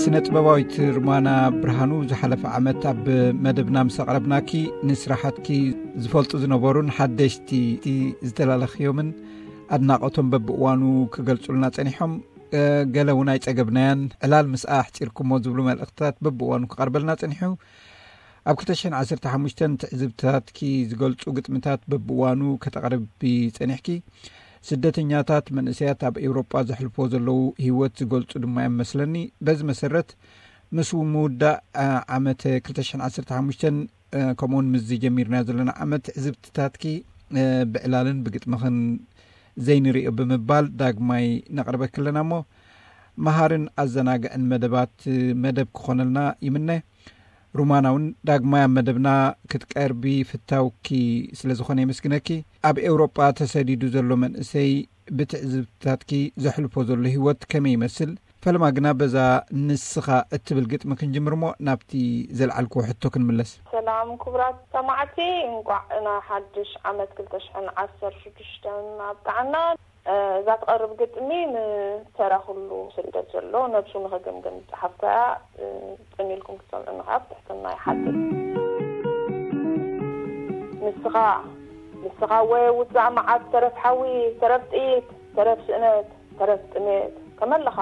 ስነ ጥበባዊት ሩማና ብርሃኑ፣ ዝሓለፈ ዓመት ኣብ መደብና ምስ ኣቕረብናኪ፣ ንስራሓትኪ ዝፈልጡ ዝነበሩን ሓደሽቲ ዝተላለኽዮምን ኣድናቖቶም በብእዋኑ ክገልጹልና ጸኒሖም። ገለ እውን ኣይጸገብናያን፣ ዕላል ምስኣ ኣሕጺርኩሞ ዝብሉ መልእኽትታት በብእዋኑ ክቐርበልና ጸኒሑ። ኣብ ክልተ ሽሕን ዓሰርተ ሓሙሽተን ትዕዝብትታትኪ ዝገልጹ ግጥምታት በብእዋኑ ከተቕርቢ ጸኒሕኪ። ስደተኛታት መንእሰያት ኣብ ኤውሮጳ ዘሕልፎ ዘለዉ ህይወት ዝገልጹ ድማ እዮም መስለኒ። በዚ መሰረት፣ ምስ ምውዳእ ዓመት ክልተ ሽሕን ዓሰርተ ሓሙሽተን ከምኡውን ምስ ጀሚርና ዘለና ዓመት ትዕዝብትታትኪ ብዕላልን ብግጥምኽን ዘይንሪኦ ብምባል ዳግማይ ነቕርበኪ ኣለና እሞ፣ መሃርን ኣዘናግዕን መደባት መደብ ክኾነልና ይምነ። ሩማና እውን ዳግማይ ኣብ መደብና ክትቀርቢ ፍታውኪ ስለ ዝኾነ የመስግነኪ። ኣብ ኤውሮጳ ተሰዲዱ ዘሎ መንእሰይ ብትዕዝብትታትኪ ዘሕልፎ ዘሎ ህይወት ከመይ ይመስል? ፈለማ ግና በዛ ንስኻ እትብል ግጥሚ ክንጅምር እሞ ናብቲ ዘልዓልክዎ ሕቶ ክንምለስ። ሰላም ክቡራት ሰማዕቲ፣ እንቋዕ ንሓድሽ ዓመት ክልተ ሽሕን ዓሰርተ ሽዱሽተን ኣብቅዓና። እዛ ትቐርብ ግጥሚ ንተራ ኩሉ ስደት ዘሎ ነብሱ ንኽግምግም ዝጸሓፍኩ እያ። ጽን ኢልኩም ክትሰምዑኒ ካብ ትሕትና ይሓትት። ንስኻ ንስኻ ወየ ውጻእ መዓት፣ ተረፍ ሓዊ፣ ተረፍ ጥይት፣ ተረፍ ስእነት፣ ተረፍ ጥሜት፣ ከመለኻ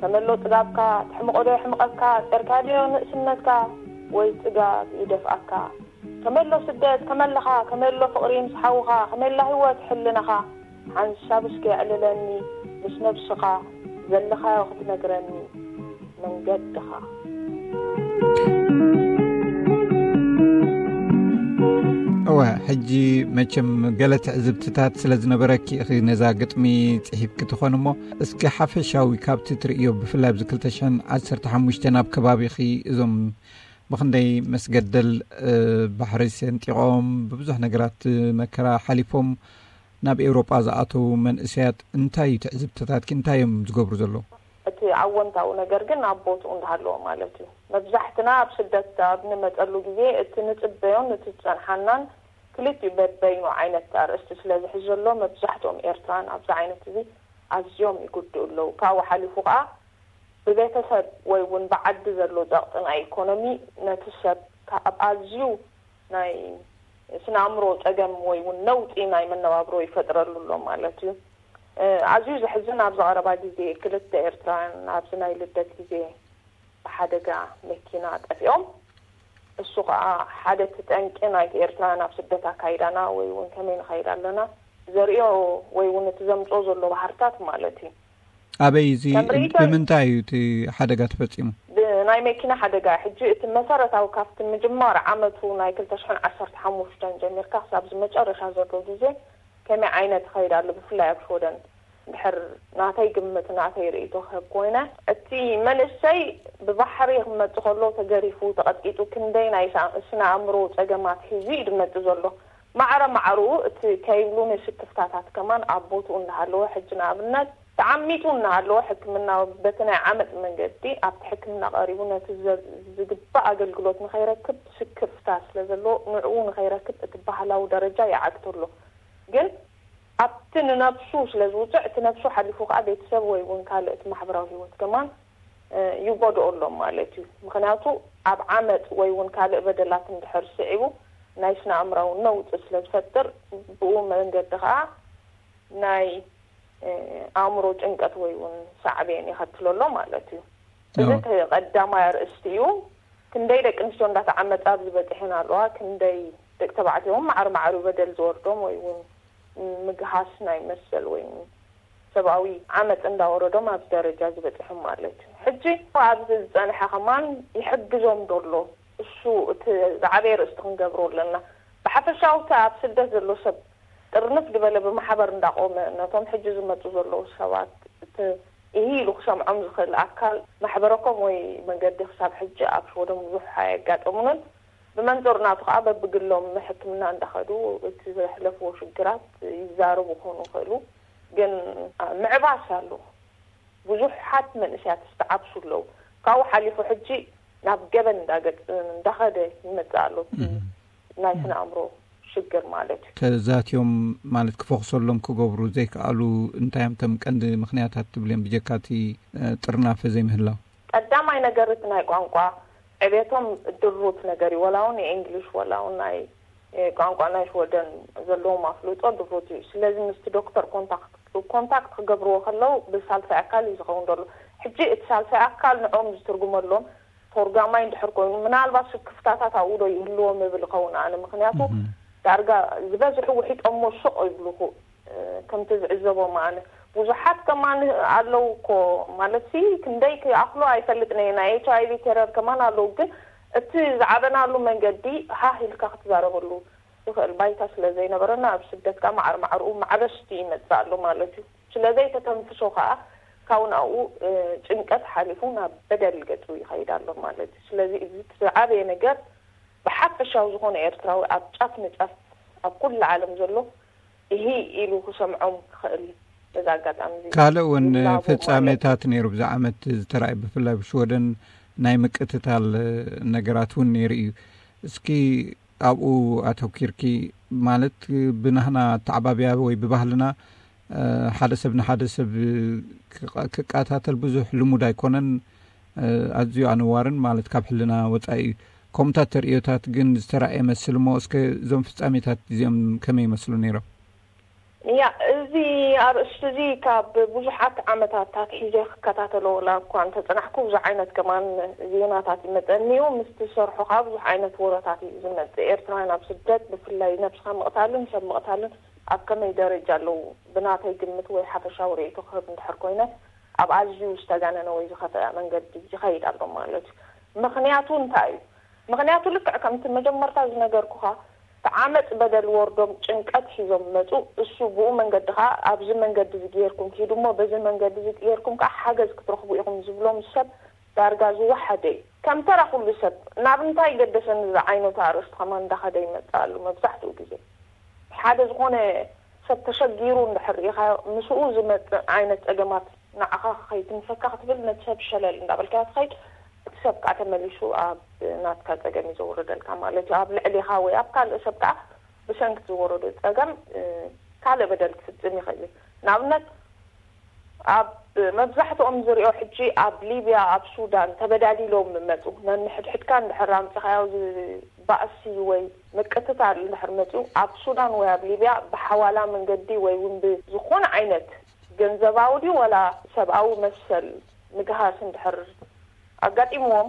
ከመሎ ጥጋብካ፣ ትሕምቖዶ የሕምቐካ፣ ጸርካድዮ ንእስነትካ፣ ወይ ጽጋብ ይደፍኣካ? ከመሎ ስደት፣ ከመለኻ ከመሎ ፍቕሪ ምስ ሓውኻ፣ ከመላ ህይወት ሕልናኻ፣ ሓንሳብ እስከ የዕልለኒ፣ ምስ ነብስኻ ዘለኻዮ ክትነግረኒ፣ መንገድኻ። እወ፣ ሕጂ መቸም ገለ ትዕዝብትታት ስለ ዝነበረኪ ኢኺ ነዛ ግጥሚ ጽሒፍኪ ትኾን እሞ፣ እስኪ ሓፈሻዊ ካብቲ ትርእዮ፣ ብፍላይ ኣብዚ ክልተ ሽሕን ዓሰርተ ሓሙሽተን ኣብ ከባቢኺ እዞም ብኽንደይ መስገደል ባሕሪ ሰንጢቖም፣ ብብዙሕ ነገራት መከራ ሓሊፎም ናብ ኤውሮጳ ዝኣተዉ መንእሰያት እንታይ እዩ ትዕዝብትታትኪ? እንታይ እዮም ዝገብሩ ዘለዉ? እቲ ኣወንታዊ ነገር ግን ኣብ ቦትኡ እንዳሃለዎ ማለት እዩ። መብዛሕትና ኣብ ስደት ኣብ ንመጸሉ ግዜ እቲ ንጽበዮን እቲ ዝጸንሓናን ክልቲኡ በበይኑ ዓይነት ኣርእስቲ ስለ ዝሕዝ ዘሎ፣ መብዛሕትኦም ኤርትራን ኣብዚ ዓይነት እዚ ኣዝዮም ይጉድኡ ኣለዉ። ካብኡ ሓሊፉ ከኣ ብቤተሰብ ወይ እውን ብዓዲ ዘሎ ጸቕጢ ናይ ኢኮኖሚ ነቲ ሰብ ካብ ኣዝዩ ናይ ስነ ኣእምሮ ጸገም ወይ እውን ነውጺ ናይ መነባብሮ ይፈጥረሉ ኣሎ ማለት እዩ። እ፣ ኣዝዩ ዘሕዝን፣ ኣብዚ ቀረባ ግዜ ክልተ ኤርትራውያን ኣብዚ ናይ ልደት ግዜ ብሓደጋ መኪና ጠፊኦም። እሱ ከኣ ሓደ እቲ ጠንቂ ናይቲ ኤርትራውያን ኣብ ስደት ኣካይዳና ወይ እውን ከመይ ንኸይድ ኣለና ዘርእዮ ወይ እውን እቲ ዘምጽኦ ዘሎ ባህርታት ማለት እዩ። ኣበይ እዚ? ከም ርእይቶ ብምንታይ እዩ እቲ ሓደጋ ተፈጺሙ? ብናይ መኪና ሓደጋ። ሕጂ እቲ መሰረታዊ ካብቲ ምጅማር ዓመቱ ናይ ክልተ ሽሕን ዓሰርተ ሓሙሽተን ጀሚርካ ክሳብ እዚ መጨረሻ ዘሎ ግዜ ከመይ ዓይነት ይኸይድ ኣሎ፣ ብፍላይ ኣብ ሽወደን? እንድሕር ናተይ ግምት፣ ናተይ ርእይቶ ክህብ ኮይነ፣ እቲ መንእሰይ ብባሕሪ ክመጽእ ከሎ ተገሪፉ፣ ተቐጥቂጡ፣ ክንደይ ናይ ሳ-፣ ስነ ኣእምሮ ጸገማት ሒዙ እዩ ዝመጽእ ዘሎ። ማዕረ ማዕርኡ እቲ ከይብሉ ንስክፍታታት ከማን ኣብ ቦትኡ እንዳሃለወ፣ ሕጂ ንኣብነት ተዓሚቱ እናሃለወ ሕክምና በቲ ናይ ዓመጽ መንገዲ ኣብቲ ሕክምና ቀሪቡ ነቲ ዘ-፣ ዝግባእ ኣገልግሎት ንኸይረክብ ስክፍታ ስለ ዘለዎ፣ ንዕኡ ንኸይረክብ እቲ ባህላዊ ደረጃ ይዓግቶ ኣሎ። ግን ኣብቲ ንነብሱ ስለ ዝውጽዕ፣ እቲ ነብሱ ሓሊፉ ከኣ ቤተሰብ ወይ እውን ካልእ እቲ ማሕበራዊ ህይወት ከማን፣ እ፣ ይጎድኦ ኣሎ ማለት እዩ። ምኽንያቱ ኣብ ዓመጽ ወይ እውን ካልእ በደላት እንድሕር ስዒቡ ናይ ስነ ኣእምራዊ ነውጺ ስለ ዝፈጥር፣ ብኡ መንገዲ ከኣ ናይ፣ እ፣ ኣእምሮ ጭንቀት ወይ እውን ሳዕቤን የኸትሎ ኣሎ ማለት እዩ። እዚ እቲ ቀዳማይ ኣርእስቲ እዩ። ክንደይ ደቂ ኣንስትዮ እንዳተዓመጻ ኣብዚ በጺሐን ኣለዋ፣ ክንደይ ደቂ ተባዕትዮ እውን ማዕረ ማዕሪኡ በደል ዝወርዶም ወይ እውን ምግሃስ ናይ መሰል ወይ እውን ሰብኣዊ ዓመጽ እንዳወረዶም ኣብዚ ደረጃ ዝበጽሑ ማለት እዩ። ሕጂ ኣብዚ ዝጸንሐ ከማን ይሕግዞም ዶ ኣሎ? እሱ እቲ ዝዓበየ ርእስቲ ክንገብሮ ኣለና። ብሓፈሻዊ እቲ ኣብ ስደት ዘሎ ሰብ ጥርንፍ ዝበለ ብማሕበር እንዳቆመ ነቶም ሕጂ ዝመጹ ዘለዉ ሰባት እቲ ኢሂ ኢሉ ክሰምዖም ዝኽእል ኣካል ማሕበረኮም ወይ መንገዲ ክሳብ ሕጂ ኣብ ሽወደን ብዙሕ ኣየጋጠሙንን። ብመንጽሩ ናቱ ከኣ በብግሎም ሕክምና እንዳኸዱ እቲ ዘሕለፍዎ ሽግራት ይዛረቡ ክኾኑ ይኽእሉ። ግን ምዕባስ ኣሎ። ብዙሓት መንእሰያት ዝተዓብሱ ኣለዉ። ካብኡ ሓሊፉ ሕጂ ናብ ገበን እንዳገጽ-፣ እንዳኸደ ይመጽእ ኣሎ እቲ እም። ናይ ስነ ኣእምሮ ሽግር ማለት እዩ። ተዛትዮም ማለት ክፈኽሰሎም ክገብሩ ዘይከኣሉ እንታይ እዮም እቶም ቀንዲ ምኽንያታት ትብልዮም ብጀካ እቲ፣ እ፣ ጥርናፈ ዘይምህላው? ቀዳማይ ነገር እቲ ናይ ቋንቋ ዕቤቶም ድሩት ነገር እዩ። ወላ እውን የእንግሊሽ ወላ እውን ናይ እ፣ ቋንቋ ናይ ሽወደን ዘለዎም ኣፍልጦ ድሩት እዩ። ስለዚ ምስቲ ዶክተር ኮንታክት ኮንታክት ክገብርዎ ከለዉ ብሳልሳይ ኣካል እዩ ዝኸውን ዘሎ። ሕጂ እቲ ሳልሳይ ኣካል ንዕኦም ዝትርጉመሎም ተርጓማይ እንድሕር ኮይኑ ምናልባት ስክፍታታት ኣብኡ ዶ ይህልዎም እብል ይኸውን ኣነ። ምክንያቱ ዳርጋ ዝበዝሑ ውሒጦሞ ሱቕ ይብሉኹ። ከምቲ ዝዕዘቦ ኣነ ብዙሓት ከማን ኣለዉ እኮ ማለት ሲ ክንደይ ክኣኽሎ ኣይፈልጥን እየ። ናይ ኤች ኣይ ቪ ቴረር ከማን ኣለዉ፣ ግን እቲ ዝዓበናሉ መንገዲ ሃህ ኢልካ ክትዛረበሉ ትኽእል ባይታ ስለ ዘይነበረና ኣብ ስደት ከዓ ማዕር ማዕርኡ ማዕበስቲ ይመፅእ ኣሎ ማለት እዩ። ስለ ዘይተተንፍሶ ከዓ ካብ ናብኡ እ፣ ጭንቀት ሓሊፉ ናብ በደል ገፁ ይኸይድ ኣሎ ማለት እዩ። ስለዚ እዚ እቲ ዝዓበየ ነገር ብሓፈሻዊ ዝኾነ ኤርትራዊ ኣብ ጫፍ ንጫፍ ኣብ ኩሉ ዓለም ዘሎ እሂ ኢሉ ክሰምዖም ክኽእል በዚ ኣጋጣሚ እዚ ካልእ እውን ይላቦ ማለት እዩ። ፍጻሜታት ነይሩ ብዚ ዓመት ዝተራእየ ብፍላይ ብሽወደን ናይ ምቅትታል ነገራት እውን ነይሩ እዩ። እስኪ ኣብኡ ኣተኪርኪ ማለት ብናህና ኣተዓባብያ ወይ ብባህልና ሓደ ሰብ ንሓደ ሰብ ክቃታተል ብዙሕ ልሙድ ኣይኮነን። ኣዝዩ ኣነዋርን ማለት ካብ ሕልና ወፃኢ እዩ። ከምታት ተርእዮታት ግን ዝተራእየ መስል እሞ እስከ እዞም ፍጻሜታት እዚኦም ከመይ ይመስሉ ነይሮም? ያ እዚ ኣርእስቲ እዚ ካብ ብዙሓት ዓመታት ኣትሒዘ ክከታተሎ ወላ እኳ እንተፀናሕኩ ብዙ ዓይነት ከማን ዜናታት ይመፀኒ እዩ። ምስ ትሰርሖ ከዓ ብዙሕ ዓይነት ወረታት እዩ ዝመፅእ። ኤርትራውያን ኣብ ስደት ብፍላይ ነብስኻ ምቕታልን ሰብ ምቕታልን ኣብ ከመይ ደረጃ ኣለዉ? ብናተይ ግምት ወይ ሓፈሻዊ ርእይቶ ክህብ እንድሕር ኮይነ ኣብ ኣዝዩ ዝተጋነነ ወይ ዝኸፍአ መንገዲ ይኸይድ ኣሎ ማለት እዩ። ምኽንያቱ እንታይ እዩ? ምኽንያቱ ልክዕ ከምቲ መጀመርታ ዝነገርኩኻ እቲ ዓመፅ በደል ወርዶም ጭንቀት ሒዞም መፁ። እሱ ብኡ መንገዲ ከዓ ኣብዚ መንገዲ እዚ ገይርኩም ኪዱ እሞ በዚ መንገዲ እዚ ገይርኩም ከዓ ሓገዝ ክትረኽቡ ኢኹም ዝብሎም ሰብ ዳርጋ ዝወሓደ እዩ። ከም ተራ ኩሉ ሰብ ናብ እንታይ ገደሰኒ ዝዓይነቱ ኣርእስቲ ከማን እንዳኸደ ይመፅእ ኣሎ። መብዛሕትኡ ግዜ ሓደ ዝኾነ ሰብ ተሸጊሩ እንድሕር ርኢኻዮ ምስኡ ዝመፅእ ዓይነት ፀገማት ንዓኻ ከይትንፈካ ክትብል ነቲ ሰብ ሸለል እንዳበልካዮ ትኸይድ። እቲ ሰብ ከዓ ተመሊሱ ኣብ ናትካ ፀገም እዩ ዘውርደልካ ማለት እዩ። ኣብ ልዕሌኻ ወይ ኣብ ካልእ ሰብ ከዓ ብሰንኪ ዝወረዶ ፀገም ካልእ በደል ክፍፅም ይኽእል እዩ። ንኣብነት ኣብ መብዛሕትኦም ዝሪኦ ሕጂ ኣብ ሊብያ ኣብ ሱዳን ተበዳዲሎም መፁ። ነንሕድሕድካ እንድሕር ኣምፅኻዮ ባእሲ ወይ ምቅትታል እንድሕር መፅኡ ኣብ ሱዳን ወይ ኣብ ሊብያ ብሓዋላ መንገዲ ወይ እውን ብዝኾነ ዓይነት ገንዘባዊ ድዩ ወላ ሰብኣዊ መሰል ምግሃስ እንድሕር ኣጋጢምዎም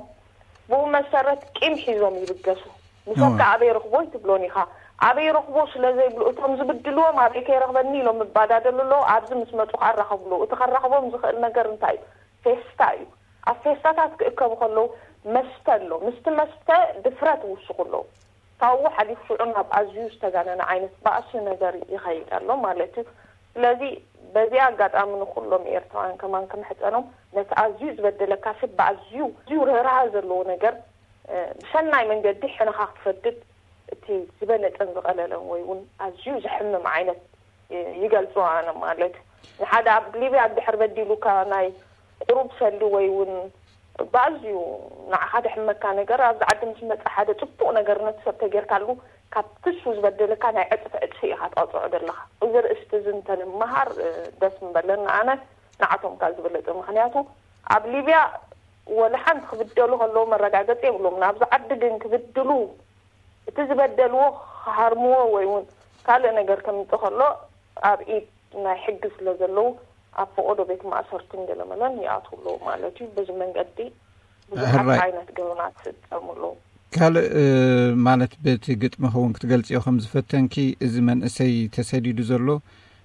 ብኡ መሰረት ቂም ሒዞም ይብገሱ። ንሰብ ከ ኣበይ ረኽቦ ይትብሎን ኢኻ። ኣበይ ረኽቦ ስለ ዘይብሉ እቶም ዝብድልዎም ኣበይ ከይረኽበኒ ኢሎም ይባዳደሉ ኣለዉ። ኣብዚ ምስ መፁ ከኣ ራኸብሉ። እቲ ከራኽቦም ዝኽእል ነገር እንታይ እዩ? ፌስታ እዩ። ኣብ ፌስታታት ክእከቡ ከለዉ መስተ ኣሎ። ምስቲ መስተ ድፍረት ይውስኹ ኣለዉ። ካብኡ ሓሊፉ ሽዑ ናብ ኣዝዩ ዝተጋነነ ዓይነት ባእሲ ነገር ይኸይድ ኣሎ ማለት እዩ። ስለዚ በዚ ኣጋጣሚ ንኩሎም ኤርትራውያን ከማን ክምሕፀኖም ነቲ ኣዝዩ ዝበደለካ ሰብ ብኣዝዩ ኣዝዩ ርህራሀ ዘለዎ ነገር ብሰናይ መንገዲ ሕነኻ ክትፈድድ እቲ ዝበለፀን ዝቐለለን ወይ እውን ኣዝዩ ዘሕምም ዓይነት ይገልፆ ኣነ ማለት እዩ። ንሓደ ኣብ ሊብያ እንድሕር በዲሉካ ናይ ቁሩብ ሰልዲ ወይ እውን ብኣዝዩ ንዓኻ ደሕመካ ነገር ኣብዚ ዓዲ ምስ መፀ ሓደ ፅቡቕ ነገር ነቲ ሰብ ተጌርካሉ ካብ ክሱ ዝበደለካ ናይ ዕፅፊ ዕፅፊ ኢኻ ትቐፅዖ ዘለኻ። እዚ ርእስቲ እዚ እንተንመሃር ደስ ምበለኒ ኣነ ንዓቶም ካብ ዝበለፀ። ምክንያቱ ኣብ ሊብያ ወላ ሓንቲ ክብደሉ ከለዉ መረጋገፂ የብሎም። ናብዚ ዓዲ ግን ክብድሉ እቲ ዝበደልዎ ክሃርምዎ ወይ እውን ካልእ ነገር ከምፅእ ከሎ ኣብ ኢድ ናይ ሕጊ ስለ ዘለዉ ኣብ ፈቐዶ ቤት ማእሰርትን ገለመለን ይኣትዉ ኣለዉ ማለት እዩ። በዚ መንገዲ ብዙሓት ሕራይ። ዓይነት ገበናት ይፍፀሙ ኣለዉ። ካልእ ማለት በቲ ግጥሚ ክውን ክትገልፅዮ ከም ዝፈተንኪ እዚ መንእሰይ ተሰዲዱ ዘሎ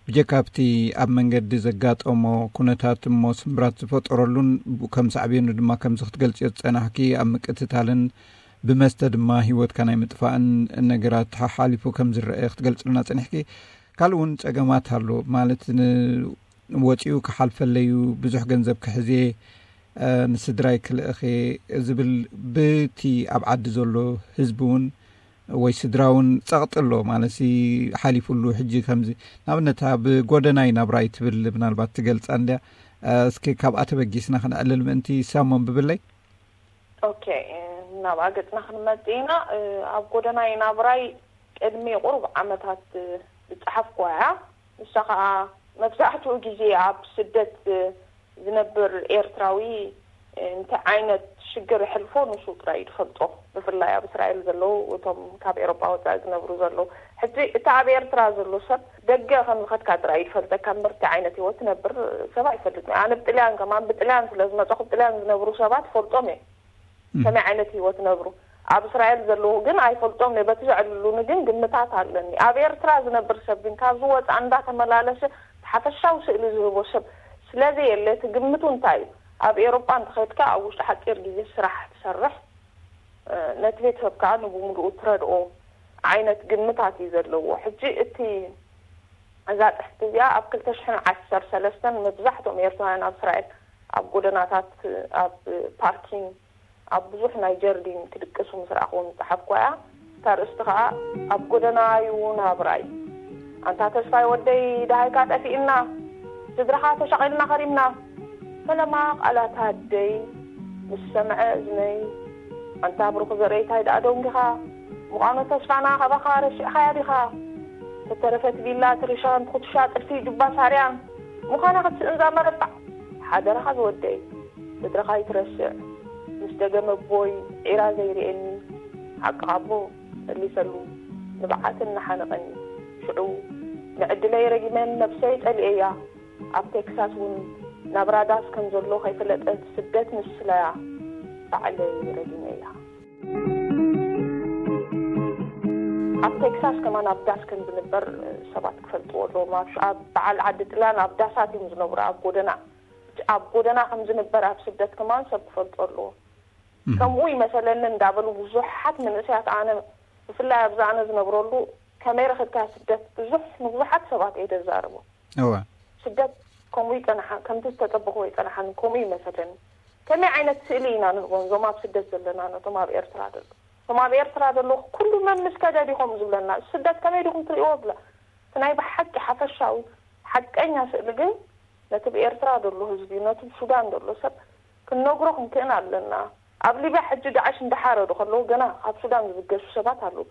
ብጀካ ኣብቲ ኣብ መንገዲ ዘጋጠሞ ኩነታት እሞ ስምብራት ዝፈጠረሉን ብኡ ከም ሳዕቤኑ ድማ ከምዚ ክትገልፅዮ ዝፀናሕኪ ኣብ ምቅትታልን ብመስተ ድማ ህይወትካ ናይ ምጥፋእን ነገራት ሓሓሊፉ ከም ዝረአ ክትገልፅልና ፀኒሕኪ። ካልእ እውን ፀገማት ኣሎ ማለት ን- ወፂኡ ክሓልፈለዩ ብዙሕ ገንዘብ ክሕዜ ንስድራይ ክልእኸ ዝብል ብቲ ኣብ ዓዲ ዘሎ ህዝቢ እውን ወይ ስድራ እውን ፀቕጢ ኣሎ ማለት ሓሊፉሉ ሕጂ ከምዚ ንኣብነት ኣብ ጎደናይ ናብራይ ትብል ምናልባት ትገልፃ እንድያ እስኪ ካብኣ ተበጊስና ክንዕልል ምእንቲ ሳሞን ብብለይ ኦኬ ናብኣ ገፅና ክንመፅእ ኢና ኣብ ጎደናይ ናብራይ ቅድሚ ቁሩብ ዓመታት ዝፀሓፍኩዋ እያ ንሳ ከዓ መብዛሕትኡ ግዜ ኣብ ስደት ዝነብር ኤርትራዊ እንታይ ዓይነት ሽግር ሕልፎ ንሱ ጥራይ እዩ ዝፈልጦ። ብፍላይ ኣብ እስራኤል ዘለዉ፣ እቶም ካብ ኤሮጳ ወጻኢ ዝነብሩ ዘለዉ። ሕጂ እቲ ኣብ ኤርትራ ዘሎ ሰብ ደገ ከም ዝኸድካ ጥራይ እዩ ዝፈልጠካ እምበር እንታይ ዓይነት ህይወት ትነብር ሰብ ኣይፈልጥን። ኣነ ብጥልያን ከማን ብጥልያን ስለ ዝመጸኹ ብጥልያን ዝነብሩ ሰባት ፈልጦም እየ። ከመይ ዓይነት ህይወት ነብሩ ኣብ እስራኤል ዘለዉ ግን ኣይፈልጦም እየ። በቲ ዘዕልሉኒ ግን ግምታት ኣለኒ። ኣብ ኤርትራ ዝነብር ሰብ ግን ካብዚ ወጻእ እንዳተመላለሰ ሓፈሻዊ ስእሊ ዝህቦ ሰብ ስለዘየለ እቲ ግምቱ እንታይ እዩ? ኣብ ኤሮጳ እንተኸድካ ኣብ ውሽጢ ሓጺር ግዜ ስራሕ ትሰርሕ፣ ነቲ ቤተሰብ ከዓ ንብምሉኡ ትረድኦ ዓይነት ግምታት እዩ ዘለዎ። ሕጂ እቲ እዛ ጽሕፍቲ እዚኣ ኣብ ክልተ ሽሕን ዓሰርተ ሰለስተን መብዛሕትኦም ኤርትራውያን ኣብ እስራኤል ኣብ ጎደናታት፣ ኣብ ፓርኪንግ፣ ኣብ ብዙሕ ናይ ጀርዲን ክድቅሱ ምስ ረኣኹዎም ዝጸሓፍኩዋ እያ። እታ ርእስቲ ከኣ ኣብ ጎደና እዩ ናብራይ። ኣንታ ተስፋይ ወደይ ደሃይካ ጠፊእና፣ ስድራኻ ተሻቒልና ኸሪምና። ፈለማ ቃላት ኣደይ ምስ ሰምዐ እዝነይ፣ ኣንታ ብሩኽ ዘርእይ ታይ ደኣ ደንጊኻ? ምዃኑ ተስፋና ካባኻ ረሲዕኻያ ዲኻ? ተተረፈት ቪላ ትርሻን ትኹትሻ ጥልፊ ጁባ ሳርያን ምዃና ክትስእን ዛመረባዕ ሓደራኻ ዝወደይ። ስድራኻ ይትረስዕ። ምስ ደገመ ኣቦይ ዒራ ዘይርእየኒ ሓቂ ኣቦ መሊሰሉ ንብዓትን እናሓነቐኒ። ሽዑ ንዕድለይ ረጊመን ነብሰይ ጠሊኤያ። ኣብ ቴክሳስ እውን ናብራ ዳስ ከም ዘሎ ከይፈለጠት ስደት ምስላያ ባዕለይ ረጊመያ። ኣብ ቴክሳስ ከማን ኣብ ዳስ ከም ዝንበር ሰባት ክፈልጥዎ ኣለዎም። ኣብ በዓል ዓዲ ጥላን ኣብ ዳሳት እዮም ዝነብሩ ኣብ ጎደና። ኣብ ጎደና ከም ዝንበር ኣብ ስደት ከማን ሰብ ክፈልጦ ኣለዎ። ከምኡ ይመሰለኒ እንዳበሉ ብዙሓት መንእሰያት ኣነ ብፍላይ ኣብዚ ኣነ ዝነብረሉ ከመይ ረኽብካ ስደት ብዙሕ ንብዙሓት ሰባት እየ ዘዛርቦ። እወ። ስደት ከምኡ ይጸንሓ ከምቲ ዝተጠበኽዎ ይጸንሓኒ ከምኡ ይመሰለኒ። ከመይ ዓይነት ስእሊ ኢና ንህቦም እዞም ኣብ ስደት ዘለና ነቶም ኣብ ኤርትራ ዘለዉ? እቶም ኣብ ኤርትራ ዘለዉ ኩሉ መምስ ከደድ ኢኹም ዝብለና። ስደት ከመይ ዲኹም ትርእይዎ ብላ። እቲ ናይ ብሓቂ ሓፈሻዊ ሓቀኛ ስእሊ ግን ነቲ ብኤርትራ ዘሎ ህዝቢ፣ ነቲ ብሱዳን ዘሎ ሰብ ክንነግሮ ክንክእን ኣለና። ኣብ ሊብያ ሕጂ ዳዕሽ እንዳሓረዱ ከለዉ ገና ካብ ሱዳን ዝብገሱ ሰባት ኣለዉ።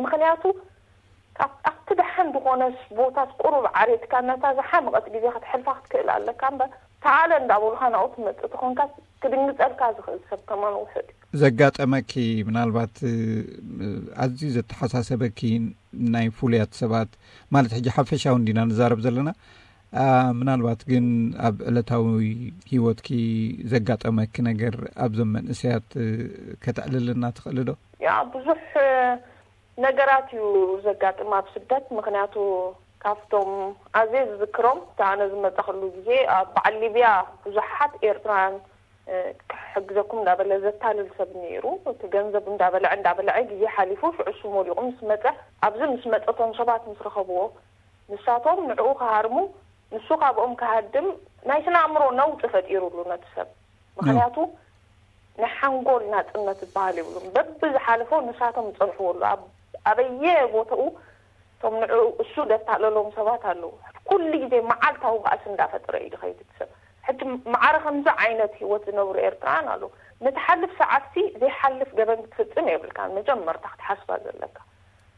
ምኽንያቱ ኣብቲ ደሓን ዝኾነ ቦታት ቁሩብ ዓሬትካ ነታ ዝሓመቐት ግዜ ክትሕልፋ ክትክእል ኣለካ እምበር ተዓለ እንዳበሉኻ ናብኡ ትመጽእ ተኾንካ ክድንግጸልካ ዝኽእል ሰብ ከማን ውሑድ እዩ። ዘጋጠመኪ ምናልባት ኣዝዩ ዘተሓሳሰበኪ ናይ ፍሉያት ሰባት ማለት ሕጂ ሓፈሻዊ እንዲና ንዛረብ ዘለና ምናልባት ግን ኣብ ዕለታዊ ህይወትኪ ዘጋጠመኪ ነገር ኣብዞም መንእሰያት ከተዕልልና ትኽእሊ ዶ? ያ ብዙሕ ነገራት እዩ ዘጋጥም ኣብ ስደት። ምኽንያቱ ካብቶም ኣዝየ ዝዝክሮም እቲ ኣነ ዝመፀኽሉ ግዜ ኣብ በዓል ሊብያ ብዙሓት ኤርትራውያን ክሕግዘኩም እንዳበለ ዘታልል ሰብ ነይሩ። እቲ ገንዘብ እንዳበልዐ እንዳበልዐ ግዜ ሓሊፉ ሽዑ እሱ ሞሊቑ ምስ መፀ ኣብዚ ምስ መፀ እቶም ሰባት ምስ ረኸብዎ ንሳቶም ንዕኡ ክሃርሙ ንሱ ካብኦም ክሃድም ናይ ስነ ኣእምሮ ነውጢ ፈጢሩሉ ነቲ ሰብ። ምኽንያቱ ናይ ሓንጎል ናጽነት ዝበሃል ይብሉን በብዝሓለፎ ንሳቶም ዝጸንሕዎ ኣሎ ኣብ ኣበየ ቦታኡ እቶም ንዕኡ እሱ ደታለሎም ሰባት ኣለዉ። ኩሉ ግዜ መዓልታዊ ባእሲ እንዳፈጠረ እዩ ዝኸይድ እቲ ሰብ። ሕጂ ማዕረ ከምዚ ዓይነት ህይወት ዝነብሩ ኤርትራውያን ኣለዉ። ንትሓልፍ ሰዓትሲ ዘይሓልፍ ገበን ክትፍጽም የብልካን መጀመርታ ክትሓስባ ዘለካ።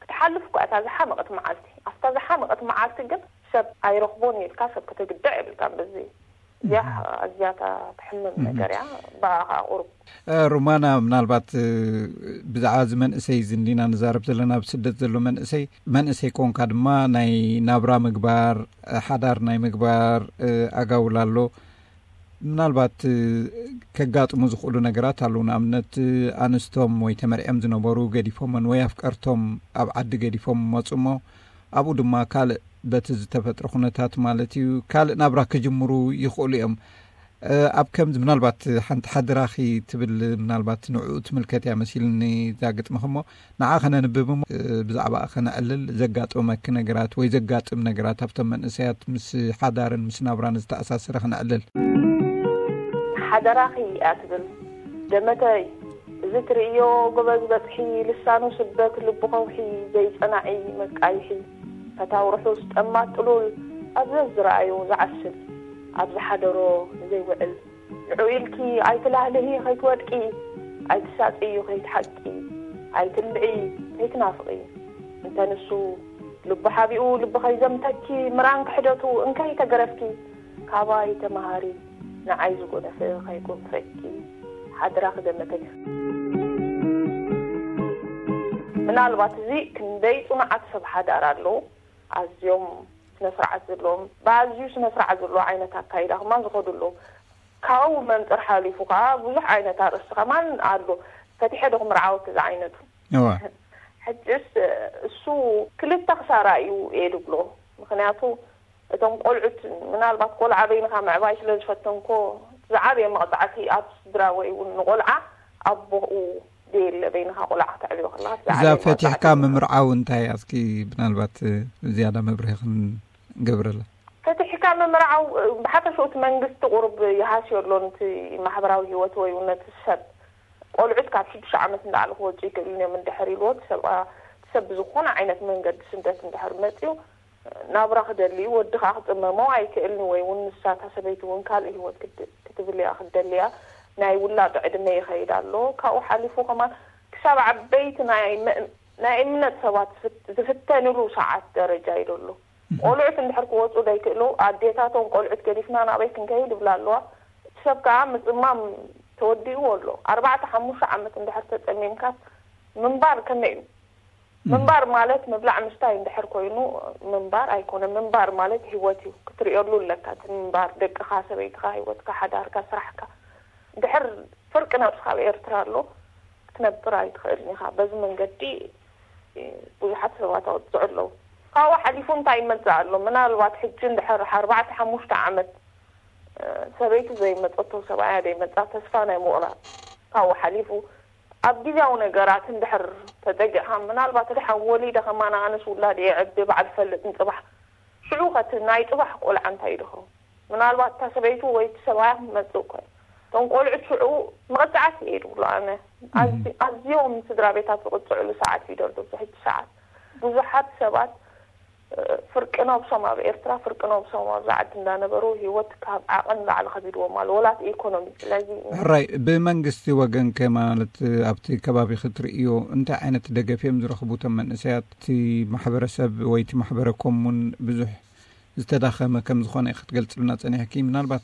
ክትሓልፍ እኳ እታ ዝሓመቐት መዓልቲ ኣብታ ዝሓመቐት መዓልቲ ግን ሰብ ኣይረኽቦን ኢልካ ሰብ ክትግዳዕ የብልካን። በዚ እዚኣ ኣዝያታ ትሕምም ነገር እያ። ብኣኻ ቁሩብ ሩማና፣ ምናልባት ብዛዕባ እዚ መንእሰይ እዚ እንዲና ንዛረብ ዘለና፣ ኣብ ስደት ዘሎ መንእሰይ መንእሰይ ኮንካ ድማ ናይ ናብራ ምግባር፣ ሓዳር ናይ ምግባር ኣጋውል ኣሎ። ምናልባት ከጋጥሙ ዝኽእሉ ነገራት ኣለዉ። ንኣብነት ኣንስቶም ወይ ተመርዕዮም ዝነበሩ ገዲፎመን ወይ ኣፍቀርቶም ኣብ ዓዲ ገዲፎም መፁ እሞ ኣብኡ ድማ ካልእ በቲ ዝተፈጥረ ኩነታት ማለት እዩ ካልእ ናብራ ክጅምሩ ይኽእሉ እዮም። ኣብ ከምዚ ምናልባት ሓንቲ ሓድራኺ ትብል ምናልባት ንዕኡ ትምልከት እያ መሲልኒ እዛ ግጥምኺ እሞ ንዓ ከነንብብ እሞ ብዛዕባ ከነዕልል ዘጋጠመኪ ነገራት ወይ ዘጋጥም ነገራት ኣብቶም መንእሰያት ምስ ሓዳርን ምስ ናብራን ዝተኣሳሰረ ከነዕልል። ሓደራኺ እያ ትብል ደመተይ፣ እዚ ትርእዮ ጎበዝ በጽሒ፣ ልሳኑ ስበት ልቡ ከውሒ፣ ዘይጸናዒ መቃይሒ፣ ፈታው ርሑስ ጠማት ጥሉል፣ ኣብ ዘዝረኣዮ ዝዓስል፣ ኣብ ዝሓደሮ ዘይውዕል፣ ንዑ ኢልኪ ኣይትላህልሂ ከይትወድቂ፣ ኣይትሳጥዩ ከይትሓቂ፣ ኣይትልዒ ከይትናፍቒ። እንተ ንሱ ልቡ ሓቢኡ ልቢ ከይዘምተኪ፣ ምራን ክሕደቱ እንከይ ተገረፍኪ፣ ካባይ ተመሃሪ ንዓይ ዝጎነፈ ከይጎንፈኪ። ኣደራ ክገመተይ። ምናልባት እዚ ክንደይ ጽኑዓት ሰብ ሓዳር ኣለዉ፣ ኣዝዮም ስነ ስርዓት ዘለዎም፣ ብኣዝዩ ስነ ስርዓት ዘለዎ ዓይነት ኣካይዳ ከማን ዝኸዱ ኣለዉ። ካብኡ መንፅር ሓሊፉ ከዓ ብዙሕ ዓይነት ኣርእስቲ ከማን ኣሎ። ፈቲሐ ዶ ክምርዓወክ እዚ ዓይነቱ? እዋ። ሕጅስ እሱ ክልተ ክሳራ እዩ እየ ድብሎ። ምክንያቱ እቶም ቆልዑት፣ ምናልባት ቆልዓ በይንኻ ምዕባይ ስለ ዝፈተንኮ፣ ዝዓበየ መቕፃዕቲ ኣብ ስድራ ወይ እውን ንቆልዓ ኣቦኡ ደየለ በይንኻ ቆልዓ ክተዕብዮ ከለኻ እቲ እዛ ዝዓበየ ፈቲሕካ መቕፃዕቲ እዩ። ምምርዓው እንታይ? ኣስኪ ብናልባት ዝያዳ መብርሂ ክንገብረላ። ፈቲሕካ ምምርዓው፣ ብሓፈሽኡ እቲ መንግስቲ ቁሩብ ይሃስዮ ኣሎ ነቲ ማሕበራዊ ህይወት ወይ እውን ነቲ ሰብ። ቆልዑት ካብ ሽዱሽተ ዓመት ንላዕሊ ክወፁ ይክእሉን እዮም እንድሕር ኢልዎ፣ እቲ ሰብ፣ እቲ ሰብ ብዝኾነ ዓይነት መንገዲ ስደት እንድሕር መፅዩ፣ ናብራ ክደሊ እዩ፣ ወዲ ከዓ ክፅመሞ ኣይክእልን ወይ እውን ንሳ እታ ሰበይቲ እውን ካልእ ህይወት ክድ-፣ ክትብል እያ ክደልያ፣ ናይ ውላድ ዕድመ ይኸይድ ኣሎ። ካብኡ ሓሊፉ ከማን ክሳብ ዓበይቲ ናይ መ-፣ ናይ እምነት ሰባት ዝፍት-፣ ዝፍተንሉ ሰዓት ደረጃ እዩ ዘሎ። ቆልዑት እንድሕር ክወፁ ዘይክእሉ፣ ኣዴታቶም ቆልዑት ገዲፍና ናበይ ክንከይድ ይብላ ኣለዋ። እቲ ሰብ ከዓ ምፅማም ተወዲእዎ ኣሎ። ኣርባዕተ ሓሙሽተ ዓመት እንድሕር ተፀሚምካስ ምንባር ከመይ እዩ? ምንባር ማለት ምብላዕ ምስታይ እንድሕር ኮይኑ ምንባር ኣይኮነ። ምንባር ማለት ህይወት እዩ። ክትርእየሉ ኣለካ እቲ ምንባር፣ ደቅኻ፣ ሰበይትኻ፣ ህይወትካ፣ ሓዳርካ፣ ስራሕካ። እንድሕር ፍርቂ ነብስኻ ኣብ ኤርትራ ኣሎ፣ ክትነብር ኣይትኽእልን ኢኻ። በዚ መንገዲ ብዙሓት ሰባት ኣውፅዑ ኣለዉ። ካብኡ ሓሊፉ እንታይ ይመፅእ ኣሎ? ምናልባት ሕጂ እንድሕር ኣርባዕተ ሓሙሽተ ዓመት፣ እ፣ ሰበይቱ ዘይመፀቶ፣ ሰብኣያ ዘይመፃ፣ ተስፋ ናይ ምቑራፅ። ካብኡ ሓሊፉ ኣብ ግዜያዊ ነገራት እንድሕር ተጠጊዕካ፣ ምናልባት ድሓን ወሊደ ከማን ኣነስ ውላድ እየ ዕቢ ባዕል ፈልጥ ንፅባሕ። ሽዑ ኸቲ ናይ ፅባሕ ቆልዓ እንታይ ይድኸው? ምናልባት እታ ሰበይቱ ወይ እቲ ሰብኣያ ክመፅእ እኮ እዩ። እቶም ቆልዑት ሽዑ መቐፃዕቲ እየ ድብሎ ኣነ። ኣዝ-፣ ኣዝዮም ስድራ ቤታት ዝቕፅዕሉ ሰዓት እዩ ደሎ ኣብዚ ሕጂ ሰዓት። ብዙሓት ሰባት፣ እ፣ ፍርቂ ነብሶም ኣብ ኤርትራ፣ ፍርቂ ነብሶም ኣብዚ ዓዲ እንዳነበሩ ህይወት ካብ ዓቐን ላዕሊ ከቢድዎም ኣሎ፣ ወላ እቲ ኢኮኖሚ። ስለዚ ሕራይ፣ ብመንግስቲ ወገን ከ ማለት ኣብቲ ከባቢ ክትርእዮ እንታይ ዓይነት ደገፍ እዮም ዝረኽቡ እቶም መንእሰያት? እቲ ማሕበረሰብ ወይ እቲ ማሕበረ ኮሙን ብዙሕ ዝተዳኸመ ከም ዝኾነ ክትገልጽልና ጸኒሕኪ። ምናልባት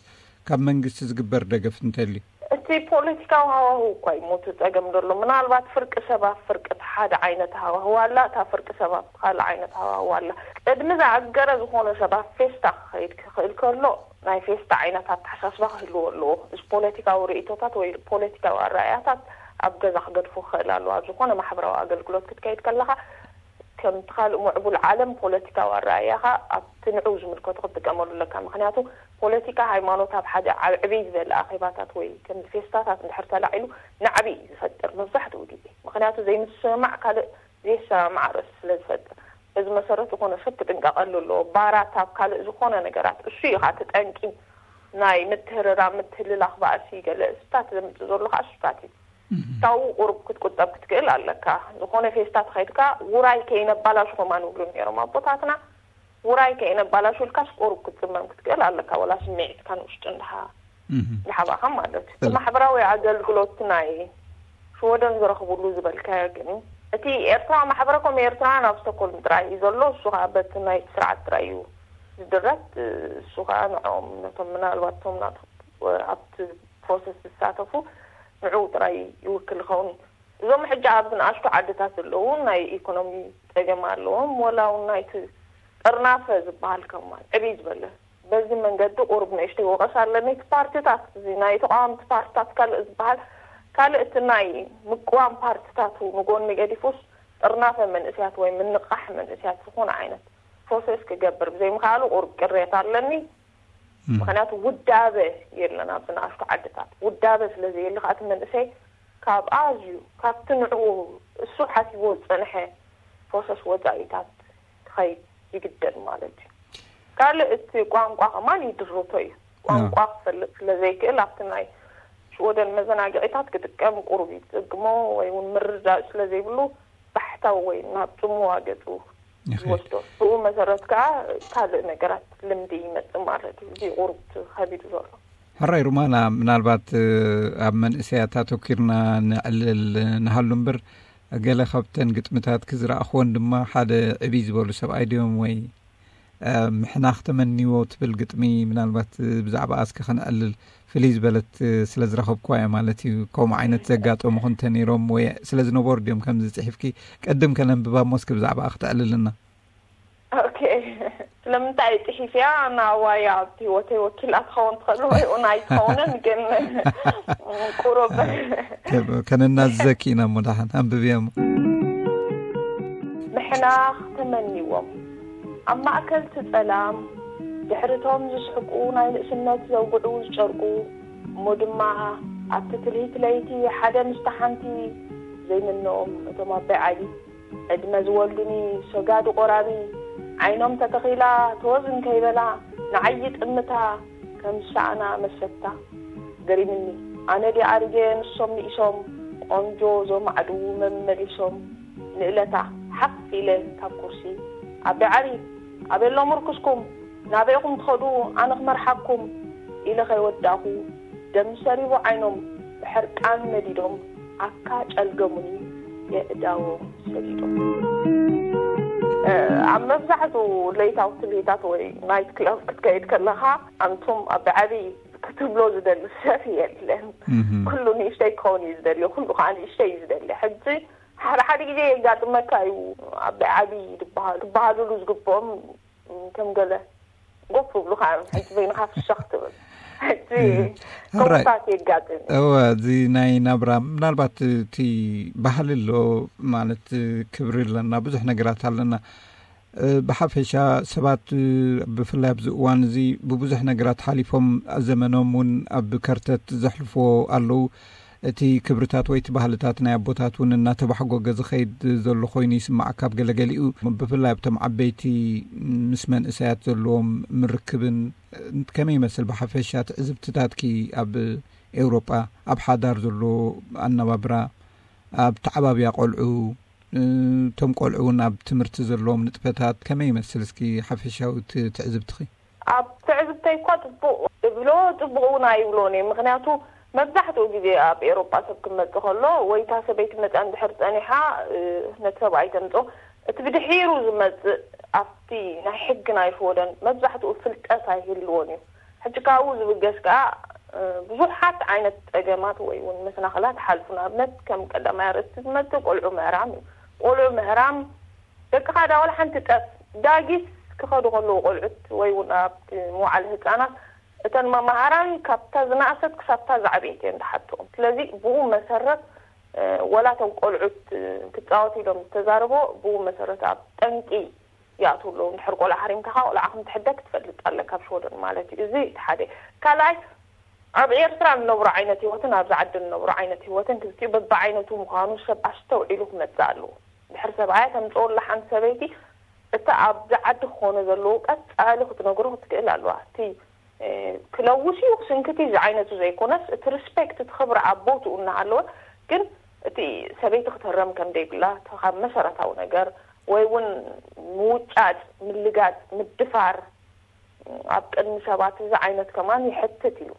ካብ መንግስቲ ዝግበር ደገፍ እንተልዩ? እቲ ፖለቲካዊ ሃዋህው እኳ እዩ ሞቱ ጸገም ዘሎ። ምናልባት ፍርቂ ሰብ ኣብ ፍርቂ እቲ ሓደ ዓይነት ሃዋህው ኣላ፣ እታ ፍርቂ ሰብ ኣብ ካልእ ዓይነት ሃዋህው ኣላ። ቅድሚ ዝኣገረ ዝኾነ ሰብ ኣብ ፌስታ ክኸይድ ክኽእል ከሎ፣ ናይ ፌስታ ዓይነት ኣተሓሳስባ ክህልዎ ኣለዎ። እዚ ፖለቲካዊ ርእይቶታት ወይ ፖለቲካዊ ኣረኣእያታት ኣብ ገዛ ክገድፎ ክኽእል ኣለዎ። ኣብ ዝኾነ ማሕበራዊ ኣገልግሎት ክትከይድ ከለኻ፣ ከምቲ ካልእ ምዕቡል ዓለም ፖለቲካዊ ኣረኣእያኻ ኣብቲ ንዑ ዝምልከቶ ክትጥቀመሉ ኣለካ። ምኽንያቱ ፖለቲካ ሃይማኖት ኣብ ሓደ ዓብ-፣ ዕብይ ዝበለ ኣኼባታት ወይ ከም ፌስታታት እንድሕር ተላዒሉ ናዕቢ እዩ ዝፈጥር መብዛሕትኡ ግዜ። ምኽንያቱ ዘይምስምማዕ ካልእ ዘይሰማማዕ ርእሲ ስለ ዝፈጥር። በዚ መሰረት ዝኾነ ሰብ ክጥንቀቐሉ ኣለዎ። ባራት ኣብ ካልእ ዝኾነ ነገራት እሱ እዩ ኸዓ እቲ ጠንቂ ናይ ምትህርራም፣ ምትህልላኽ፣ ባእሲ ገለ እሱታት ዘምጽእ ዘሎ ኸዓ እሱታት እዩ። ካብኡ ቁሩብ ክትቁጠብ ክትክእል ኣለካ። ዝኾነ ፌስታ ተኸይድካ ውራይ ከይነባላሹ ከማን ይብሉ ነይሮም ኣቦታትና። ውራይ ከይነባላሹ ኢልካስ ቁሩብ ክትጽመም ክትክእል ኣለካ፣ ወላ ስምዒትካ ንውሽጢ እንድሓ-፣ እንድሓባኻ ማለት እዩ። እቲ ማሕበራዊ ኣገልግሎት ናይ ሽወደን ዝረኽብሉ ዝበልካዮ ግን፣ እቲ ኤርትራ ማሕበረኮም ኤርትራውያን ኣብ ስቶኮልም ጥራይ እዩ ዘሎ። እሱ ኸዓ በቲ ናይ ስርዓት ጥራይ እዩ ዝድረት። እሱ ኸዓ ንዕኦም ነቶም ምናልባት እቶም ናት-፣ ኣብቲ ፕሮሰስ ዝሳተፉ ንዕኡ ጥራይ ይውክል ይኸውን። እዞም ሕጂ ኣብዚ ንኣሽቱ ዓድታት ዘለዉ ናይ ኢኮኖሚ ጸገም ኣለዎም። ወላ እውን ናይቲ ጥርናፈ ዝበሃል ከማን ዕብይ ዝበለ በዚ መንገዲ ቁሩብ ንእሽተይ ወቐሳ ኣለኒ። እቲ ፓርቲታት፣ እዚ ናይ ተቃወምቲ ፓርቲታት ካልእ ዝበሃል፣ ካልእ እቲ ናይ ምቅዋም ፓርቲታት ንጎኒ ገዲፉስ ጥርናፈ መንእስያት ወይ ምንቃሕ መንእስያት ዝኾነ ዓይነት ፕሮሰስ ክገብር ብዘይምኽኣሉ ቁሩብ ቅሬታ ኣለኒ። ምኽንያቱ ውዳበ የለን ኣብዚ ንኣሽቱ ዓድታት። ውዳበ ስለ ዘየለ ከዓ እቲ መንእሰይ ካብ ኣዝዩ፣ ካብቲ ንዕኡ እሱ ሓሲብዎ ዝጸንሐ ፕሮሰስ ወጻኢታት ክኸይድ ይግደድ ማለት እዩ። ካልእ እቲ ቋንቋ ከማን ይድርቶ እዩ። ቋንቋ ክፈልጥ ስለ ዘይክእል ኣብቲ ናይ ሽወደን መዘናግዒታት ክጥቀም ቁሩብ ይጽግሞ ወይ እውን ምርዳእ ስለ ዘይብሉ ባሕታዊ ወይ ናብ ጽምዋ ገጹ ይኸይድ። ይወስዶ። ብኡ መሰረት ከዓ ካልእ ነገራት ልምዲ ይመጽእ ማለት እዩ። እዚ ቁሩብ ከቢዱ ዘሎ። ሕራይ ሩማና፣ ምናልባት ኣብ መንእሰያት ኣተኪርና ንዕልል ንሃሉ እምበር፣ ገለ ካብተን ግጥምታት ክዝረኣኽወን ድማ ሓደ ዕብይ ዝበሉ ሰብኣይ ድዮም ወይ ምሕናኽ ተመንዎ ትብል ግጥሚ፣ ምናልባት ብዛዕባ እስከ ከነዕልል፣ ፍልይ ዝበለት ስለ ዝረኸብኩዋ እየ ማለት እዩ። ከምኡ ዓይነት ዘጋጠሙኹ እንተ ነይሮም ወይ ስለ ዝነበሩ ድዮም ከምዚ ጽሒፍኪ? ቅድም ከነንብባ እሞ እስኪ ብዛዕባኣ ክትዕልልና። ኦኬ። ስለምንታይ ጽሒፍያ? ናዋያ ኣብቲ ህይወተይ ወኪላ ትኸውን ትኽእል ወይ እውን ኣይትኸውንን፣ ግን ቁሩብ ከነናዝዘኪ ኢና እሞ ደሓን ኣንብብያ እሞ። ምሕናኽ ተመኒዎም ኣብ ማእከል ትጸላም ድሕርቶም ዝስሕቁ ናይ ንእስነት ዘውግዑ ዝጨርቁ እሞ ድማ ኣብቲ ትልሂት ለይቲ ሓደ ምስታ ሓንቲ ዘይምንኦም እቶም ኣባይ ዓሊ ዕድመ ዝወልዱኒ ሰጋዱ ቆራቢ ዓይኖም ተተኺላ ተወዝ እንከይበላ ንዓይ ጥምታ ከም ዝሰኣና መሰታ ገሪምኒ ኣነ ድየ ኣሪገ ንሶም ንኢሶም ቆንጆ ዞማዕዱ መመሊሶም ንእለታ ሓፍ ኢለ ካብ ኩርሲ ኣቢ ዓሊ ኣበሎ ምርኩስኩም ናበይኹም ትኸዱ ኣነ ክመርሓኩም ኢለ ከይወዳእኹ ደም ሰሪቡ ዓይኖም ብሕርቃን ነዲዶም ኣካ ጨልገሙኒ የእዳዎም ሰዲዶም። ኣብ መብዛሕትኡ ለይታዊ ትልሂታት ወይ ናይት ክለብ ክትከይድ ከለኻ ኣንቱም ኣቢ ዓሊ ክትብሎ ዝደሊ ሰብ የለን። ኩሉ ንእሽተይ ክኸውን እዩ ዝደሊ፣ ኩሉ ከዓ ንእሽተይ እዩ ዝደሊ። ሕጂ ሓደ ሓደ ግዜ የጋጥመካ እዩ ኣቢ ዓሊ ዝበሃሉ ዝበሃሉሉ ዝግብኦም ከም ገለ ጎፍ ብሉካ እዮም። ሕጂ በይንኻ ፍሸኽ ትብል። ሕጂ ከምታት የጋጥም እዩ። እወ፣ እዚ ናይ ናብራ ምናልባት እቲ ባህሊ ኣሎ ማለት ክብሪ ኣለና፣ ብዙሕ ነገራት ኣለና። ብሓፈሻ ሰባት ብፍላይ ኣብዚ እዋን እዚ ብብዙሕ ነገራት ሓሊፎም ዘመኖም እውን ኣብ ከርተት ዘሕልፍዎ ኣለዉ። እቲ ክብርታት ወይ እቲ ባህልታት ናይ ኣቦታት እውን እናተባሕጎገ ዝኸይድ ዘሎ ኮይኑ ይስማዓካ ኣብ ገለገሊኡ፣ ብፍላይ ኣብቶም ዓበይቲ ምስ መንእሰያት ዘለዎም ምርክብን። ከመይ ይመስል ብሓፈሻ ትዕዝብትታትኪ ኣብ ኤውሮጳ ኣብ ሓዳር ዘሎ ኣነባብራ፣ ኣብ ተዓባብያ ቆልዑ፣ እቶም ቆልዑ እውን ኣብ ትምህርቲ ዘለዎም ንጥፈታት ከመይ ይመስል? እስኪ ሓፈሻዊ ትዕዝብትኺ። ኣብ ትዕዝብተይ እኳ ጽቡቕ እብሎ ጽቡቕ እውን ኣይብሎን እየ። ምኽንያቱ መብዛሕትኡ ግዜ ኣብ ኤሮጳ ሰብ ክመጽእ ከሎ ወይ እታ ሰበይቲ መጽኣ እንድሕር ጸኒሓ ነቲ ሰብኣይ ተምጾ እቲ ብድሒሩ ዝመጽእ ኣብቲ ናይ ሕጊ ናይ ሽወደን መብዛሕትኡ ፍልጠት ኣይህልዎን እዩ። ሕጂ ካብኡ ዝብገስ ከኣ ብዙሓት ዓይነት ጸገማት ወይ እውን መሰናኽላት ሓልፉ። ንኣብነት ከም ቀዳማይ ኣርእስቲ ዝመጽእ ቆልዑ ምህራም እዩ። ቆልዑ ምህራም ደቅኻ ዳ ዋላ ሓንቲ ጠፍ ዳጊስ ክኸዱ ከለዉ ቆልዑት ወይ እውን ኣብቲ መዋዕለ ህፃናት እተን መማሃራን ካብታ ዝነኣሰት ክሳብታ ዝዓበየት እየን ዝሓትኦም። ስለዚ ብኡ መሰረት ወላ እቶም ቆልዑት ክፃወቱ ኢሎም ዝተዛረቦ ብኡ መሰረት ኣብ ጠንቂ ይኣትዉ ኣለዉ። እንድሕር ቆልዓ ሓሪምካ ቆልዓ ከም ትሕደግ ትፈልጥ ኣለካ ኣብ ሽወደን ማለት እዩ። እዚ እቲ ሓደ። ካልኣይ ኣብ ኤርትራ እንነብሮ ዓይነት ህይወትን ኣብዚ ዓዲ እንነብሮ ዓይነት ህይወትን ክልቲኡ በብዓይነቱ ምዃኑ ሰብ ኣስተውዒሉ ክመጽእ ኣለዎ። ድሕሪ ሰብኣያ ተምጽኦ ኣላ ሓንቲ ሰበይቲ እቲ ኣብዚ ዓዲ ክኾኖ ዘለዎ ቀጻሊ ክትነግሮ ክትክእል ኣለዋ። እቲ ክለውስ እዩ ክስንክት እዩ ዝዓይነቱ ዘይኮነስ እቲ ሪስፔክት እቲ ክብሪ ኣብ ቦትኡ እናሃለወ ግን እቲ ሰበይቲ ክተረም ከም ደይብላ እቲ ካብ መሰረታዊ ነገር ወይ እውን ምውጫጭ፣ ምልጋጽ፣ ምድፋር ኣብ ቅድሚ ሰባት እዚ ዓይነት ከማን ይሕትት እዩ።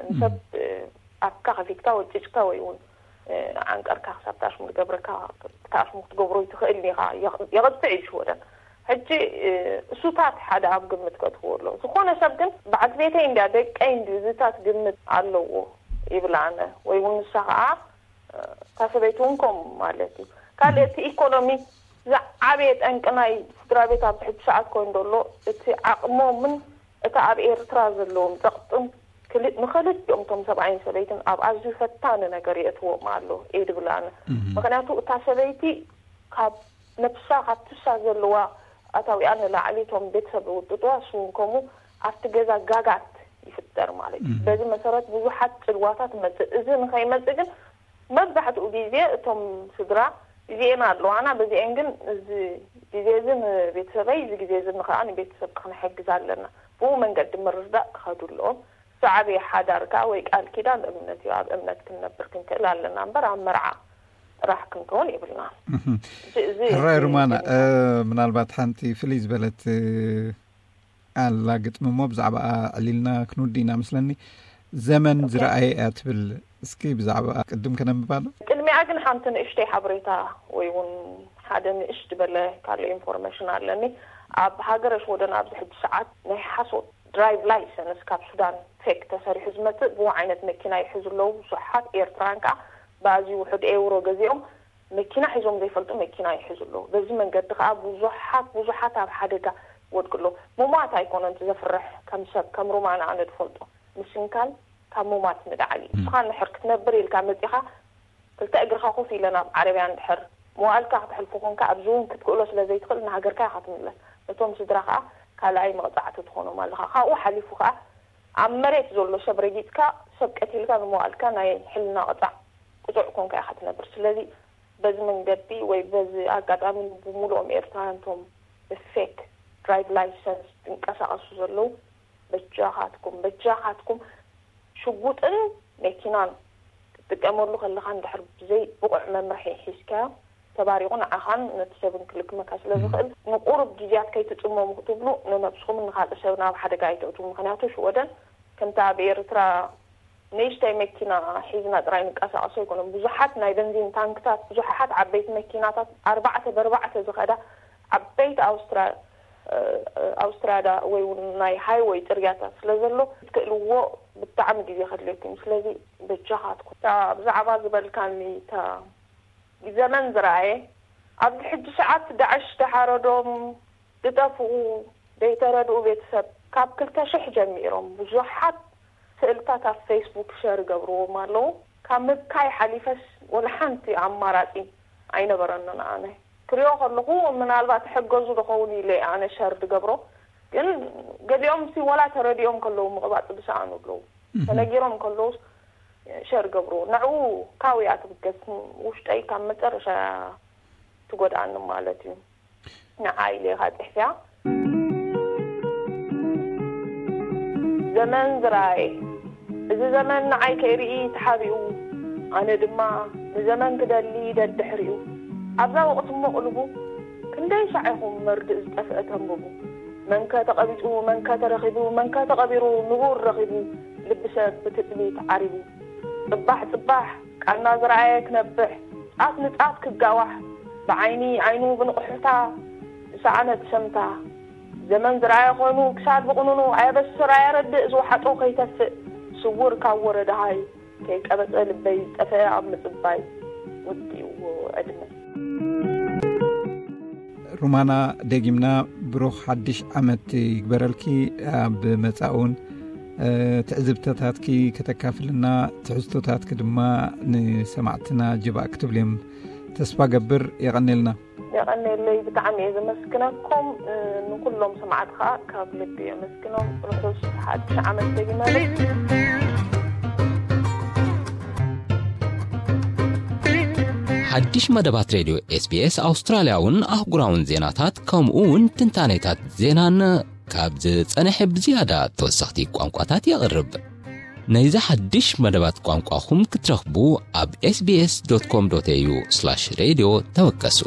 ንሰብ ኣፍካ ከፊትካ ወጭጭካ ወይ እውን ዓንቀርካ ክሳብ ታሽሙ ዝገብረካ ታሽሙ ክትገብሮ ይትኽእል ኢኻ። የቕጥዕ እዩ ሽወደን። ሕጂ እሱታት ሓደ ኣብ ግምት ከትህቦ ኣሎ። ዝኾነ ሰብ ግን በዓልቲ ቤተይ እንድያ ደቀይ እንድዩ እዚታት ግምት ኣለዎ ይብል ኣነ ወይ እውን ንሳ ከዓ እታ ሰበይቲ እውን ከምኡ ማለት እዩ። ካልእ እቲ ኢኮኖሚ ዝዓበየ ጠንቂ ናይ ስድራ ቤት ኣብዚ ሕጂ ሰዓት ኮይኑ ዘሎ እቲ ዓቕሞምን እታ ኣብ ኤርትራ ዘለዎም ጸቕጥን ክል- ንክልቲኦም እቶም ሰብኣይን ሰበይትን ኣብ ኣዝዩ ፈታኒ ነገር የእትዎም ኣሎ እየ ድብል ኣነ። ምክንያቱ እታ ሰበይቲ ካብ ነብሳ ካብ ትሳ ዘለዋ ኣታዊኣ ንላዕሊ እቶም ቤተሰብ ዝውጥጥዋ እሱ እውን ከምኡ ኣብቲ ገዛ ጋጋት ይፍጠር ማለት እዩ። በዚ መሰረት ብዙሓት ጽልዋታት መጽእ። እዚ ንኸይመጽእ ግን መብዛሕትኡ ግዜ እቶም ስድራ እዚኤን ኣለዋና በዚኤን ግን እዚ ግዜ እዚ ንቤተሰበይ እዚ ግዜ እዚ ንኸዓ ንቤተሰብ ክንሕግዝ ኣለና። ብኡ መንገዲ ምርዳእ ክኸዱ ኣለዎም። ዝዓበየ ሓዳር ከዓ ወይ ቃል ኪዳን እምነት እዩ። ኣብ እምነት ክንነብር ክንክእል ኣለና እምበር ኣብ መርዓ ጥራሕ ክንከውን የብልና። እዚ- እዚ- ሕራይ እዚ- ሩማና፣ እዚ- እ፣ ምናልባት ሓንቲ ፍልይ ዝበለት፣ እ፣ ኣላ ግጥሚ እሞ ብዛዕባኣ ዕሊልና ክንውዲ ኢና መስለኒ። ዘመን ኦኬ። ዝረኣየ እያ ትብል። እስኪ ብዛዕባኣ ቅድም ከነንብባ ዶ? ቅድሚኣ ግን ሓንቲ ንእሽተይ ሓበሬታ ወይ እውን ሓደ ንእሽ ዝበለ ካልእ ኢንፎርሜሽን ኣለኒ። ኣብ ሃገረ ሽወደን ኣብዚ ሕጂ ሰዓት ናይ ሓሶት ድራይቭ ላይሰንስ ካብ ሱዳን ፌክ ተሰሪሑ ዝመጽእ ብኡ ዓይነት መኪና ይሕዙ ኣለዉ። ብዙሓት ኤርትራን ከኣ ብኣዝዩ ውሑድ ኤውሮ ገዚኦም መኪና ሒዞም ዘይፈልጡ መኪና ይሕዙ ኣለዉ። በዚ መንገዲ ከኣ ብዙሓት ብዙሓት ኣብ ሓደጋ ይወድቁ ኣለዉ። ምሟት ኣይኮነን እቲ ዘፍርሕ፣ ከም ሰብ ከም ሩማና ኣነ ዝፈልጦ ምስንካል ካብ ምሟት ንላዕሊ እዩ። ንስኻ እንድሕር ክትነብር ኢልካ መጺኻ ክልተ እግርኻ ኮፍ ኢለ ናብ ዓረብያ እንድሕር መዋእልካ ክተሕልፎ ኮንካ ኣብዚ እውን ክትክእሎ ስለ ዘይትኽእል ንሃገርካ ኢኻ ትምለስ። ነቶም ስድራ ከኣ ካልኣይ መቕጻዕቲ ትኾኖም ኣለኻ። ካብኡ ሓሊፉ ከኣ ኣብ መሬት ዘሎ ሰብ ረጊጽካ ሰብ ቀቲልካ ንመዋእልካ ናይ ሕልና ቅጻዕ ቅጹዕ ኮንካ ኢኻ ትነብር። ስለዚ በዚ መንገዲ ወይ በዚ ኣጋጣሚ ብሙሉኦም ኤርትራውያን እቶም ብፌክ ድራይቭ ላይሰንስ ዝንቀሳቐሱ ዘለዉ በጃኻትኩም በጃኻትኩም ሽጉጥን መኪናን ክትጥቀመሉ ከለኻ እንድሕር ብዘይ ብቑዕ መምርሒ ሒዝካዮ ተባሪቑ ንዓኻን ነቲ ሰብን ክልክመካ ስለ ዝኽእል ንቁሩብ ግዜያት ከይትጽመሙ ክትብሉ ንነብስኹምን ንኻልእ ሰብ ናብ ሓደጋ ኣይተእትዉ። ምኽንያቱ ሽወደን ከምቲ ኣብ ኤርትራ ንእሽተይ መኪና ሒዝና ጥራይ ንቀሳቐሶ ኣይኮነን። ብዙሓት ናይ በንዚን ታንክታት፣ ብዙሓት ዓበይቲ መኪናታት ኣርባዕተ ብኣርባዕተ ዝኸዳ ዓበይቲ ኣውስትራ ኣውስትራዳ ወይ እውን ናይ ሃይወይ ጽርግያታት ስለ ዘሎ ክትክእልዎ ብጣዕሚ ግዜ ከድልየኩም። ስለዚ በጃኻትኩም እታ ብዛዕባ ዝበልካኒ እታ ዘመን ዝረኣየ ኣብዚ ሕጂ ሰዓት ዳዕሽ ተሓረዶም ዝጠፍኡ ዘይተረድኡ ቤተሰብ ካብ ክልተ ሽሕ ጀሚሮም ብዙሓት ስእልታት ኣብ ፌስቡክ ሸር ገብርዎም ኣለዉ። ካብ ምብካይ ሓሊፈስ ወላ ሓንቲ ኣማራጺ ኣይነበረንን። ኣነ ክሪኦ ከለኹ ምናልባት ሕገዙ ዝኸውን ኢለ ኣነ ሸር ዝገብሮ፣ ግን ገሊኦም ሲ ወላ ተረዲኦም ከለዉ ምቕባጽ ዝሰኣኑ ኣለዉ። ተነጊሮም ከለዉ ሸር ገብርዎ ንዕኡ ካውያ ትብገስ ውሽጠይ ካብ መጨረሻ ትጎድኣኒ ማለት እዩ። ንዓይ ኢለ ኢኻ ጽሕፍያ። ዘመን ዝረኣየ እዚ ዘመን ንዓይ ከይርኢ ተሓቢኡ፣ ኣነ ድማ ንዘመን ክደሊ ደድሕሪኡ። ኣብዛ ወቕቲ እሞ ቅልቡ ክንደይ ሻዕ ኢኹም መርድእ ዝጠፍአ ተንብቡ። መንከ ተቐቢጹ መንከ ተረኺቡ መንከ ተቐቢሩ ንቡር ረኺቡ ልቢ ሰብ ብትጽቢት ዓሪቡ። ጽባሕ ጽባሕ ቃና ዝረኣየ ክነብሕ ጻት ንጻት ክጋዋሕ ብዓይኒ ዓይኑ ብንቕሑታ ዝሰኣነ ብሰምታ። ዘመን ዝረኣየ ኮይኑ ክሳድ ብቕንኑ ኣየበስር ኣየረድእ ዝወሓጦ ከይተፍእ ስውር ካብ ወረ ደሃይ ከይቀበጸ ልበይ ዝጠፍአ ኣብ ምጽባይ ውዲእዎ ዕድመ። ሩማና ደጊምና ብሩኽ ሓድሽ ዓመት ይግበረልኪ። ኣብ መጻእ እውን ትዕዝብተታትኪ ከተካፍልና ትሕዝቶታትኪ ድማ ንሰማዕትና ጅባእ ክትብልዮም ተስፋ ገብር። የቐኔልና። የቐኔለይ ብጣዕሚ እየ ዘመስግነኩም። ንኩሎም ሰማዕት ከዓ ካብ ልቢ የመስግኖም። ርሑስ ሓድሽ ዓመት ደጊመ ሓድሽ መደባት ሬድዮ ኤስቢኤስ ኣውስትራልያውን ኣህጉራውን ዜናታት ከምኡ እውን ትንታኔታት ዜናን ካብ ዝጸንሐ ብዝያዳ ተወሰኽቲ ቋንቋታት የቕርብ። ነዚ ሓድሽ መደባት ቋንቋኹም ክትረኽቡ ኣብ ኤስቢኤስ ዶት ኮም ዶት ኤዩ ስላሽ ሬድዮ ተወከሱ።